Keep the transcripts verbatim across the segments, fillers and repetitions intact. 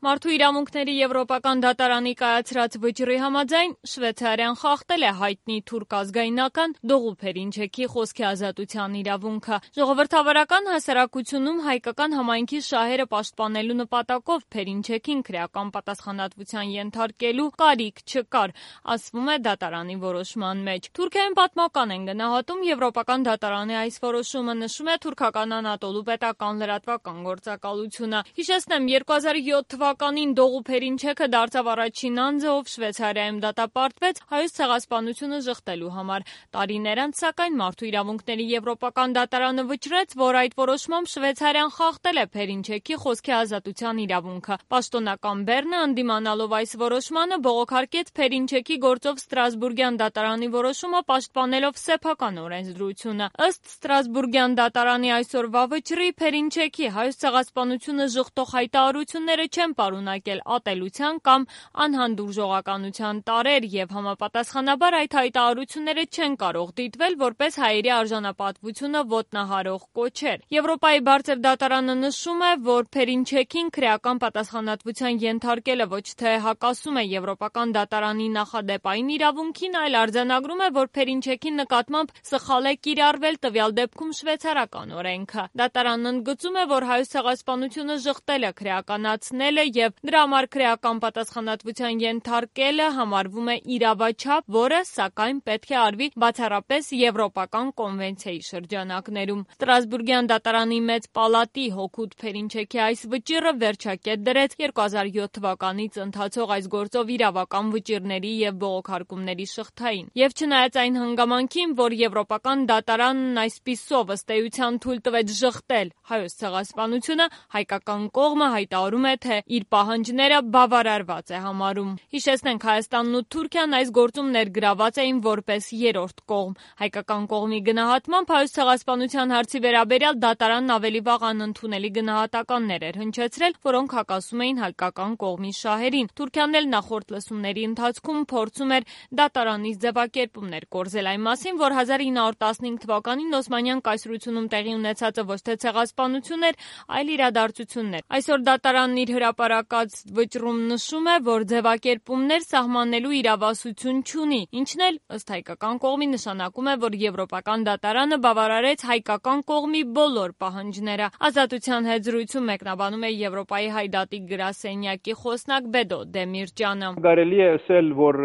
Մարդու իրավունքների եվրոպական դատարանի կայացրած վճռի համաձայն Շվեյցարիան խախտել է հայտնի թուրք ազգայնական Դողու Փերինչեքի խոսքի ազատության իրավունքը։ Ժողովրդավարական հասարակությունում հայկական համայնքի շահերը պաշտպանելու նպատակով Փերինչեքին քրեական պատասխանատվության ենթարկելու կարիք չկար, ասվում է դատարանի որոշման մեջ։ Թուրքիայում պատմական են գնահատում եվրոպական դատարանի այս որոշումը, նշում է թուրքական Անատոլու պետական լրատվական գործակալությունը։ Հիշեցնեմ, երկու հազար յոթ թվականին Դողու Փերինչեքը դարձավ առաջին անձը, ով Շվեյցարիայում դատապարտվեց Հայոց ցեղասպանությունը ժխտելու համար։ Տարիներ անց, սակայն, Մարդու իրավունքների եվրոպական դատարանը վճռեց, որ այդ որոշմամբ Շվեյցարիան խախտել է Փերինչեքի խոսքի ազատության իրավունքը։ Պաշտոնական Բեռնը, ընդդիմանալով այս որոշմանը, բողոքարկեց Փերինչեքի գործով Ստրասբուրգյան դատարանի որոշումը, պաշտպանելով սեփական օրենսդրությունը։ Ըստ Ստրասբուրգյան դատարանի այսօրվա վճռի, Փերինչեքի Հայոց ցեղասպանությունը ժխտող հայտարարությունները չեն պարունակել ատելության կամ անհանդուրժողականության տարրեր և համապատասխանաբար այդ հայտարարությունները չեն կարող դիտվել որպես հայերի արժանապատվությունը ոտնահարող կոչեր։ Եվրոպայի բարձր դատարանը նշում է, որ Փերինչեքին քրեական պատասխանատվության ենթարկելը ոչ թե հակասում է եվրոպական դատարանի նախադեպային իրավունքին, այլ արձանագրում է, որ Փերինչեքի նկատմամբ սխալ է կիրառվել տվյալ դեպքում շվեյցարական օրենքը։ Դատարանն ընդգծում է, որ Հայոց ցեղասպանությունը ժխտելը, քրեականացնելը և դրա համար քրեական պատասխանատվության ենթարկելը համարվում է իրավաչափ, որը, սակայն, պետք է արվի բացառապես Եվրոպական կոնվենցիայի շրջանակներում։ Ստրասբուրգյան դատարանի մեծ պալատի հօգուտ Փերինչեքի այս վճիռը վերջակետ դրեց երկու հազար յոթ թվականից ընթացող այս գործով իրավական վճիռների և բողոքարկումների շղթային։ Եվ չնայած այն հանգամանքին, որ Եվրոպական դատարանն այսպիսով ըստ էության թույլ տվեց ժխտել Հայոց ցեղասպանությունը, հայկական կողմը հայտարարում է, թե իր պահանջները բավարարված է համարում։ Հիշեցնենք, Հայաստանն ու Թուրքիան այս գործում ներգրաված էին որպես երրորդ կողմ։ Հայկական կողմի գնահատմամբ Հայոց ցեղասպանության հարցի վերաբերյալ դատարանն ավելի վաղ անընդունելի գնահատականներ էր հնչեցրել, որոնք հակասում էին հայկական կողմի շահերին։ Թուրքիան էլ նախորդ լսումների ընթացքում փորձում էր դատարանից ձևակերպումներ կորզել այն մասին, որ հազար ինը հարյուր տասնհինգ թվականին Օսմանյան կայսրությունում տեղի ունեցածը ոչ թե ցեղասպանություն էր, այլ իրադարձություններ։ Այսօր դատարանն իր հրապարակած վճռում նշում է, որ ձևակերպումներ սահմանելու իրավասություն չունի, ինչն էլ ըստ հայկական կողմի նշանակում է, որ Եվրոպական դատարանը բավարարեց հայկական կողմի բոլոր պահանջները։ Ազատության հետ զրույցում մեկնաբանում է Եվրոպայի հայդատի գրասենյակի խոսնակ Բեդո Դեմիրճյանը։ Կարելի է ասել, որ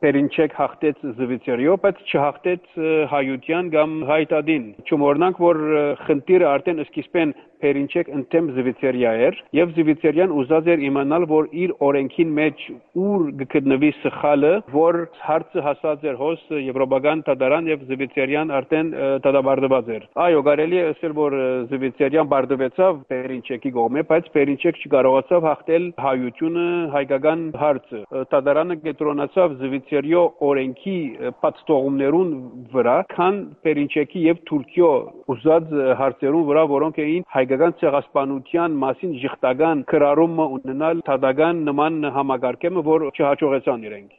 Փերինչեկ հաղթեց Զվիցերիո, բայց չհաղթեց հայության կամ հայդատին։ Չմոռանանք, որ խնդիրը արդեն սկիզբեն Փերինչեկ ընդդեմ Զվիցերիա էր, եւ Զվիցերիան ուզած էր իմանալ, որ իր օրենքին մեջ ուր գտնվի սխալը, որ հարցը հասած էր հոս Եվրոպական դատարան եւ Զվիցերիան արդեն դատապարտված էր։ Այո, կարելի է ասել, որ Զվիցերիան բարդվեցավ Փերինչեկի կողմը, բայց Փերինչեկ չկարողացավ հաղթել հայությունը, հայկական հարցը։ Դատարանը կենտրոնացավ Զվիցերիո օրենքի պատստողումներուն վրա, քան Փերինչեկի եւ Թուրքիո ուզած հարցերուն վրա, որոնք էին հայկական ցեղասպանության մասին ժխտական քրարումը ունենալ դատական նման համագարկեմը, որ չհաջողեցան իրենք։